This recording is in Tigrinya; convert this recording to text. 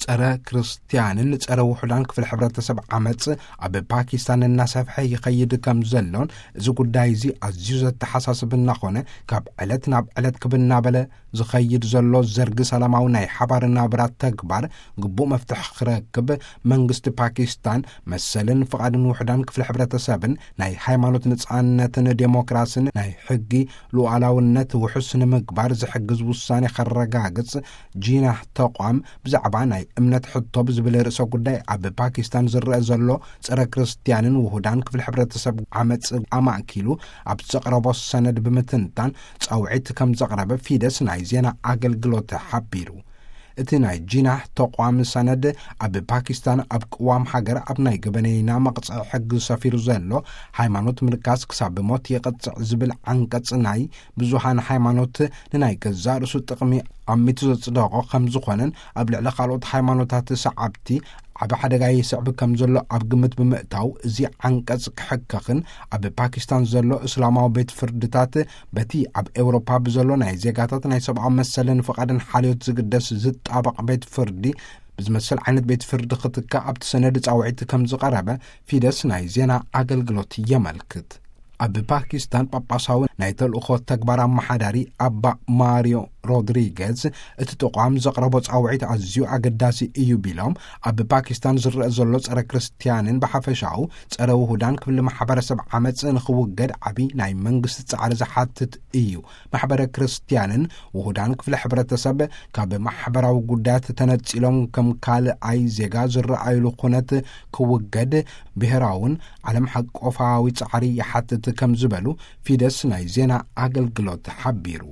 ጸረ ክርስትያንን ጸረ ውሑዳን ክፍል ሕብረተሰብ ዓመጽ ኣብ ፓኪስታን እናሰፍሐ ይኸይድ ከም ዘሎን፣ እዚ ጉዳይ እዚ ኣዝዩ ዘተሓሳስብ እናኾነ፣ ካብ ዕለት ናብ ዕለት ክብ እናበለ ዝኸይድ ዘሎ ዘርጊ ሰላማዊ ናይ ሓባር ናብራ ተግባር ግቡእ መፍትሒ ክረክብ፣ መንግስቲ ፓኪስታን መሰልን ፍቓድን ውሑዳን ክፍሊ ሕብረተሰብን ናይ ሃይማኖት ነጻነትን ዴሞክራስን ናይ ሕጊ ሉዓላውነት ውሑስ ንምግባር ዝሕግዝ ውሳኔ ከረጋግጽ፣ ጂናህ ተቋም ብዛዕባ ናይ እምነት ሕቶ ብዝብል ርእሰ ጉዳይ ኣብ ፓኪስታን ዝረአ ዘሎ ጸረ ክርስትያንን ውሁዳን ክፍሊ ሕብረተሰብ ዓመጽ ኣማእኪሉ ኣብ ዘቕረቦ ሰነድ ብምትንታን፣ ጻውዒት ከም ዘቕረበ ፊደስ ናይ ዜና ኣገልግሎት ሓቢሩ። እቲ ናይ ጂናህ ተቋም ሰነድ፣ ኣብ ፓኪስታን ኣብ ቅዋም ሃገር ኣብ ናይ ገበነይና መቕጽዒ ሕጊ ሰፊሩ ዘሎ፣ ሃይማኖት ምንካስ ክሳብ ብሞት ይቕጽዕ ዝብል ዓንቀጽ ናይ ብዙሃን ሃይማኖት ንናይ ገዛእ ርእሱ ጥቕሚ ኣሚቱ ዘጽደቖ ከም ዝኾነን፣ ኣብ ልዕሊ ካልኦት ሃይማኖታት ሰዓብቲ ዓቢ ሓደጋ ይስዕብ ከም ዘሎ ኣብ ግምት ብምእታው፣ እዚ ዓንቀጽ ክሕከኽን ኣብ ፓኪስታን ዘሎ እስላማዊ ቤት ፍርድታት በቲ ኣብ ኤውሮፓ ብዘሎ ናይ ዜጋታት ናይ ሰብኣዊ መሰልን ፍቓድን ሓልዮት ዝግደስ ዝጣበቕ ቤት ፍርዲ ብዝመሰል ዓይነት ቤት ፍርዲ ክትካእ ኣብቲ ሰነድ ጻውዒት ከም ዝቐረበ ፊደስ ናይ ዜና ኣገልግሎት የመልክት። ኣብ ፓኪስታን ጳጳሳዊ ናይ ተልእኾ ተግባር ኣመሓዳሪ ኣባ ማሪዮ ሮድሪገዝ፣ እቲ ተቋም ዘቕረቦ ጻውዒት ኣዝዩ ኣገዳሲ እዩ ቢሎም፣ ኣብ ፓኪስታን ዝረአ ዘሎ ጸረ ክርስትያንን ብሓፈሻኡ ጸረ ውሁዳን ክፍሊ ማሕበረሰብ ዓመጽ ንኽውገድ ዓቢ ናይ መንግስቲ ጻዕሪ ዝሓትት እዩ። ማሕበረ ክርስትያንን ውሁዳን ክፍሊ ሕብረተሰብ ካብ ማሕበራዊ ጉዳያት ተነጺሎም ከም ካልኣይ ዜጋ ዝረኣዩሉ ኩነት ክውገድ ብሔራውን ዓለም ሓቆፋዊ ጻዕሪ ይሓትት ከም ዝበሉ ፊደስ ናይ ዜና ኣገልግሎት ሓቢሩ።